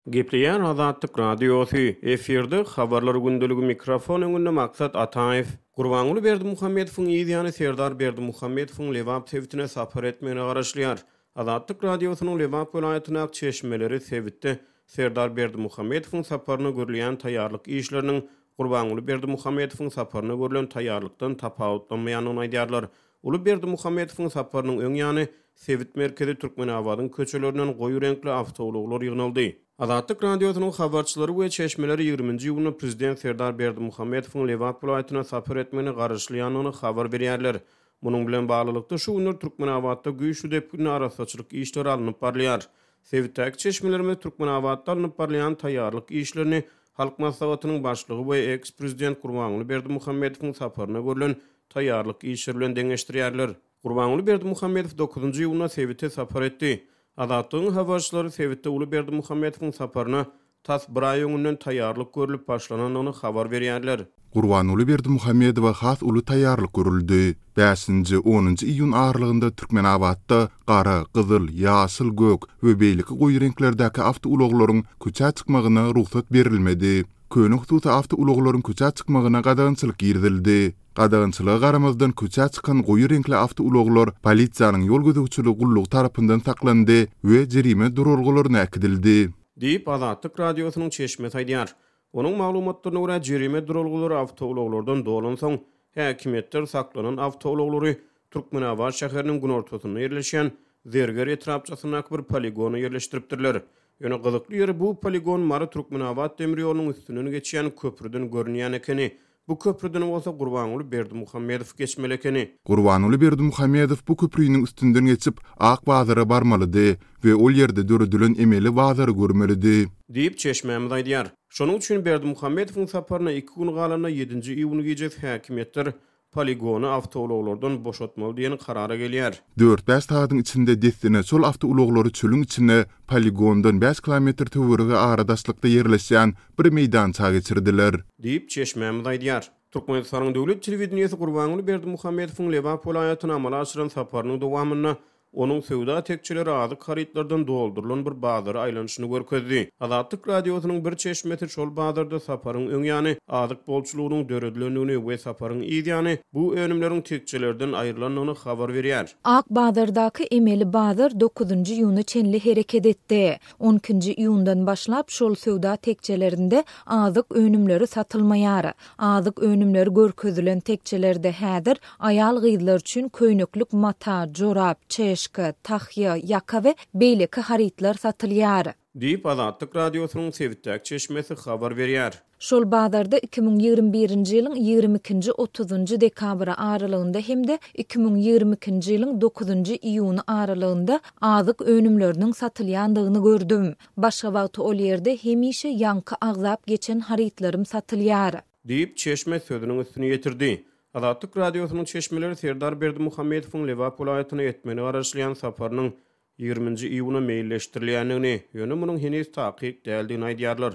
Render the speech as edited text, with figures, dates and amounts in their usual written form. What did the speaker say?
Gepleýär Azatlyk Radiosy, efirde Habarlar gündeligi mikrofon öňünde Maksat Ataýew. Gurbanguly Berdimuhamedowyň yz ýany Serdar Berdimuhamedowyň Lebap sebitine sapar etmegine garaşylýar. Azatlyk Radiosynyň Lebap welaýatyndaky çeşmeleri sebitde Serdar Berdimuhamedowyň saparyna görülýän taýýarlyk işleriniň Gurbanguly Berdimuhamedowyň saparyna görlen taýýarlykdan tapawutlanmaýandygyny aýdýarlar. Uly Berdimuhamedowyň saparynyň öň ýany, sebit merkezi Türkmenabadyň köçelerinden goýy reňkli awtoulaglar ýygnaldy. Azatlyk Radiosynyň habarçylary we çeşmeleri ýigriminji iýunda prezident Serdar Berdimuhamedowyň Lebap welaýatyna sapar etmegine garaşylýandygyny habar berýärler. Munuň bilen baglylykda, şu günler Türkmenabatda güýçli depginde arassaçylyk işleri alnyp barylýar. Sebitdäki çeşmelerimiz Türkmenabatda alnyp barylýan taýýarlyk işlerini Halk Maslahatynyň Başlygy we eks-prezident Gurbanguly Berdimuhamedowyň saparyna görlen taýýarlyk işleri bilen deňeşdirýärler. Gurbanguly Berdimuhamedow dokuzynjy iýunda sebite sapar etdi. Azatlygyň habarçylary sebitde uly Berdimuhamedowyň saparyna tas bir aý öňünden taýýarlyk görlüp başlanandygyny habar berýärler. Gurbanguly Berdimuhamedowa has uly taýýarlyk görüldi. Bäşinji, onunjy iýun aralygynda Türkmenabatda gara, gyzyl, ýaşyl, gök we beýleki goýy reňklerdäki awtoulaglaryň köçä çykmagyna rugsat berilmedi. Köne hususy awtoulaglaryň köçä çykmagyna gadagançylyk girizildi. Gadagançylyga garamazdan köçä çykan goýy reňkli awtoulaglar polisiýanyň ýol gözegçiligi gullugy tarapyndan saklandy we jerime duralgalaryna äkidildi. Diýip, Azatlyk Radiosynyň çeşmesi aýdýar. Onuň maglumatlaryna görä, jerime duralgalary awtoulaglardan dolansoň, häkimiýetler saklanan awtoulaglary Türkmenabat şäheriniň günortasynda ýerleşýän Zerger etrapçasyndaky bir poligona ýerleşdiripdirler. Ýöne gyzykly ýeri, bu poligon Mary-Türkmenabat demir ýolunyň üstünden geçýän köprüden görünýän ekeni. Bu köprüden bolsa Gurbanguly Berdimuhamedow geçmeli ekeni. Gurbanguly Berdimuhamedow bu köprüniň üstünden geçip, Ak bazara barmalydy we ol ýerde döredilen emeli bazary görmelidi. Diýip, çeşmämiz aýdýar. Şonuň üçin Berdimuhamedowyň saparyna iki gün galanda, ýedinji iýun gijesi häkimiýetler poligony awtoulaglardan boşatmaly diýen karara gelýär. Dört-bäş sagadyň içinde dessine şol awtoulaglary çölüň içine, poligondan bäş kilometr töweregi ara daşlykda ýerleşýän bir meýdança geçirdiler. Diýip, çeşmämiz aýdýar. Türkmenistanyň döwlet telewideniýesi Gurbanguly Berdimuhamedowyň Lebap welaýatyna amala aşyran saparynyň dowamynda Onuň söwda tekjeleri azyk harytlardan doldurylan bir bazara aýlanyşyny görkezdi. Azatlyk Radiosynyň bir çeşmesi şol bazarda saparyň öň ýany azyk bolçulygynyň döredilendigini we saparyň yz ýany bu önümleriň tekjelerden aýrylandygyny habar berýär. Ak bazardaky emeli bazar dokuzynjy iýuna çenli hereket etdi. On ikinji iýundan başlap şol söwda tekjelerinde azyk önümleri satylmaýar. Azyk önümleri görkezilen tekjelerde häzir aýal-gyzlar üçin köýneklik mata, jorap, çeşka, tahýa, ýaka we beýleki harytlar satylýar. Diýip, Azatlyk Radiosynyň sebitdäki çeşmesi habar berýär. Şol bazarda 2021-nji ýylyň ýigrimi ikinji, otuzynjy dekabry aralygynda hem-de 2022-nji ýylyň dokuzynjy iýuny aralygynda azyk önümleriniň satylýandygyny gördüm. Başga wagty ol ýerde hemişe ýaňky agzap geçen harytlarym satylýar. Diýip, çeşme sözüniň üstüni ýetirdi. Azatlyk Radiosynyň çeşmeleri Serdar Berdimuhamedowyň Lebap welaýatyna etmegine garaşylýan saparynyň ýigriminji iýuna meýilleşdirilýändigini, ýöne munuň heniz takyk däldigini aýdýarlar.